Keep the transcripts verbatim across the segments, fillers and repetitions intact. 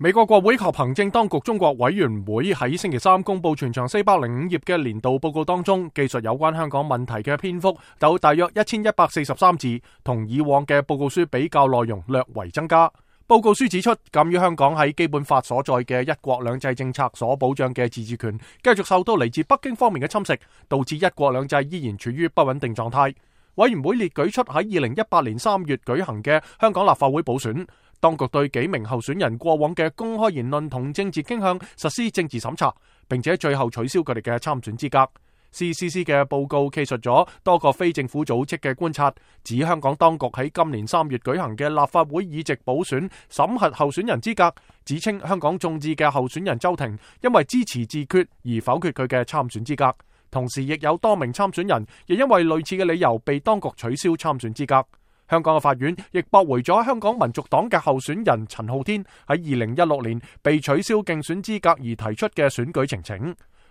美國國會及行政當局中國委員會喺星期三公布全長四百零五頁嘅年度報告當中，記述有關香港問題嘅篇幅有大約一千一百四十三字，同以往嘅報告書比較內容略為增加。報告書指出，鑒於香港喺基本法所在嘅一國兩制政策所保障嘅自治權繼續受到嚟自北京方面嘅侵蝕，導致一國兩制依然處於不穩定狀態。委員會列舉出喺二零一八年三月舉行嘅香港立法會補選，當局對幾名候選人過往嘅公開言論同政治傾向實施政治審查，並且最後取消佢哋嘅參選資格。C C C 嘅報告記述咗多個非政府組織嘅觀察，指香港當局喺今年三月舉行嘅立法會議席補選審核候選人資格，指稱香港眾志嘅候選人周庭因為支持自決而否決佢嘅參選資格。同時亦有多名參選人亦因為類似嘅理由被當局取消參選資格。香港嘅法院亦駁回咗香港民族黨嘅候選人陳浩天喺二零一六年被取消競選資格而提出嘅選舉呈請。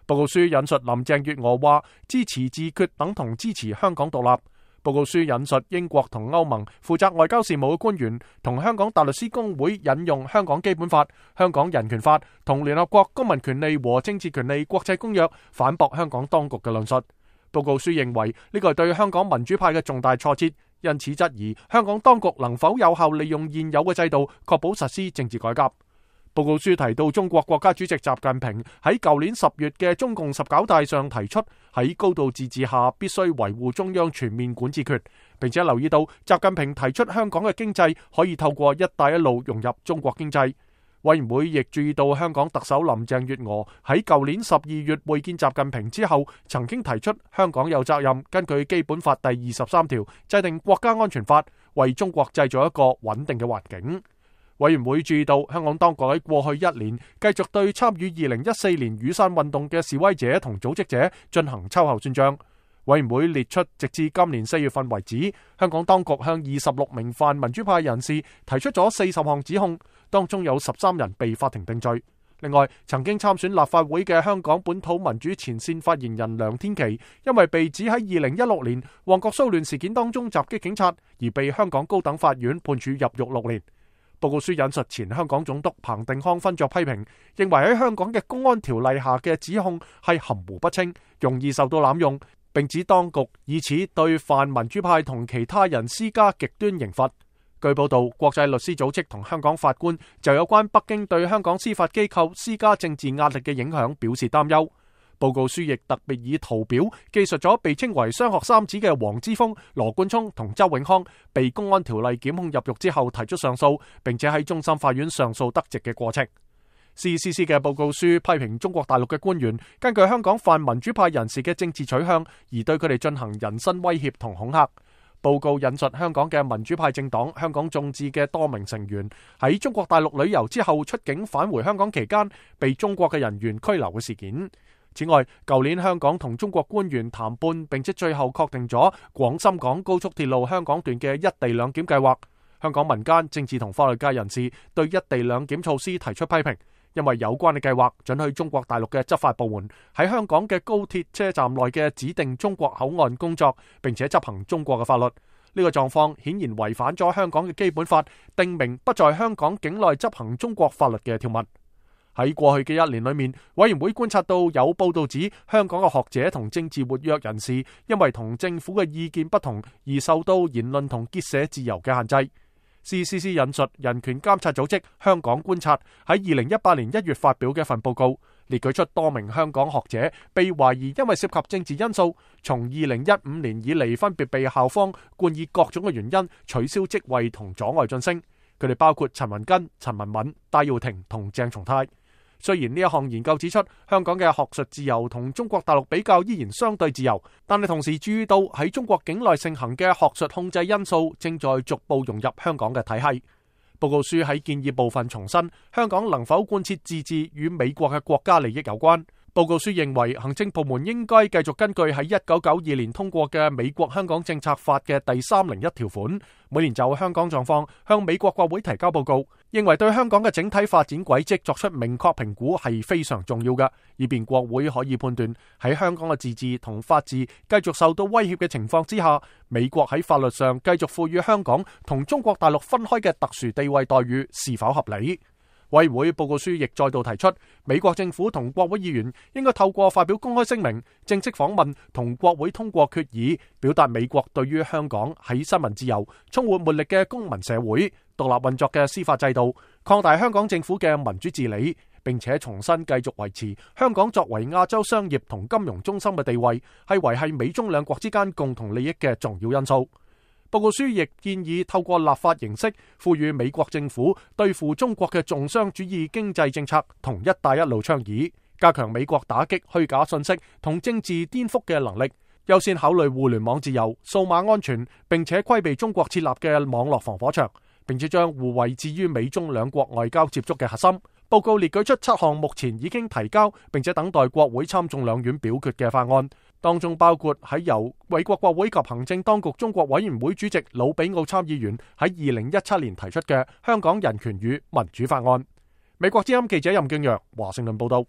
報告書引述林鄭月娥話，支持自決等同支持香港獨立。報告書引述英國同歐盟負責外交事務嘅官員同香港大律師公會引用香港基本法、香港人權法同聯合國公民權利和政治權利國際公約反駁香港當局嘅論述。報告書認為呢個係對香港民主派嘅重大挫折，因此質疑香港當局能否有效利用現有嘅制度確保實施政治改革。報告書提到，中國國家主席習近平喺舊年十月嘅中共十九大上提出，喺高度自治下必須維護中央全面管治權，並且留意到習近平提出香港嘅經濟可以透過一帶一路融入中國經濟。委員會亦注意到香港特首林鄭月娥喺舊年十二月會見習近平之後，曾經提出香港有責任根據基本法第二十三條制定國家安全法，為中國製造一個穩定嘅環境。委員會注意到香港當局喺過去一年繼續對參與二零一四年雨傘運動嘅示威者同組織者進行秋後算賬。委員會列出直至今年四月份為止，香港當局向二十六名泛民主派人士提出咗四十項指控，當中有十三人被法庭定罪。另外，曾經參選立法會嘅香港本土民主前線發言人梁天琦，因為被指喺二零一六年旺角騷亂事件當中襲擊警察，而被香港高等法院判處入獄六年。報告書引述前香港總督彭定康勳爵批評，認為喺香港嘅公安條例下嘅指控係含糊不清，容易受到濫用，並指當局以此對泛民主派同其他人施加極端刑罰。據報道，國際律師組織同香港法官就有關北京對香港司法機構施加政治壓力嘅影響表示擔憂。報告書亦特別以圖表記述咗被稱為雙學三子嘅黃之鋒、羅冠聰同周永康被公安條例檢控入獄之後提出上訴，並且喺終審法院上訴得直嘅過程。C C C 嘅報告書批評中國大陸嘅官員根據香港泛民主派人士嘅政治取向而對佢哋進行人身威脅同恐嚇。報告引述香港嘅民主派政黨香港眾志嘅多名成員喺中國大陸旅遊之後出境返回香港期間被中國嘅人員拘留嘅事件。此外，舊年香港同中國官員談判，並且最後確定咗廣深港高速鐵路香港段嘅一地兩檢計劃。香港民間、政治同法律界人士對一地兩檢措施提出批評，因為有關嘅計劃准許中國大陸嘅執法部門喺香港嘅高鐵車站內嘅指定中國口岸工作，並且執行中國嘅法律。呢個狀況顯然違反咗香港嘅基本法訂明不在香港境內執行中國法律嘅條文。喺過去嘅一年裏面，委員會觀察到有報道指香港嘅學者同政治活躍人士因為同政府嘅意見不同而受到言論同結社自由嘅限制。C C C 引述人權監察組織香港觀察喺二零一八年一月發表嘅一份報告，列舉出多名香港學者被懷疑因為涉及政治因素，從二零一五年以嚟分別被校方冠以各種嘅原因取消職位同阻礙晉升。佢哋包括陳文根、陳文敏、戴耀廷同鄭松泰。雖然呢一項研究指出香港嘅學術自由同中國大陸比較依然相對自由，但係同時注意到喺中國境內盛行嘅學術控制因素正在逐步融入香港嘅體系。報告書喺建議部分重申，香港能否貫徹自治與美國嘅國家利益有關。報告書認為，行政部門應該繼續根據喺一九九二年通過嘅美國香港政策法嘅第三零一條款，每年就香港狀況向美國國會提交報告，認為對香港嘅整體發展軌跡作出明確評估係非常重要嘅，以便國會可以判斷喺香港嘅自治同法治繼續受到威脅嘅情況之下，美國喺法律上繼續賦予香港同中國大陸分開嘅特殊地位待遇是否合理。委員會報告書亦再度提出，美國政府同國會議員應該透過發表公開聲明、正式訪問同國會通過決議，表達美國對於香港喺新聞自由、充滿活力嘅公民社會、獨立運作嘅司法制度、擴大香港政府嘅民主治理，並且重新繼續維持香港作為亞洲商業同金融中心嘅地位，係維繫美中兩國之間共同利益嘅重要因素。報告書亦建議透過立法形式，賦予美國政府對付中國嘅重商主義經濟政策同一帶一路倡議，加強美國打擊虛假信息同政治顛覆嘅能力，優先考慮互聯網自由、數碼安全，並且規避中國設立嘅網絡防火牆，並且將互惠置於美中兩國外交接觸嘅核心。報告列舉出七項目前已經提交並且等待國會參眾兩院表決嘅法案，當中包括喺由美國國會及行政當局中國委員會主席魯比奧參議員喺二零一七年提出嘅香港人權與民主法案。美國之音記者任敬揚華盛頓報道。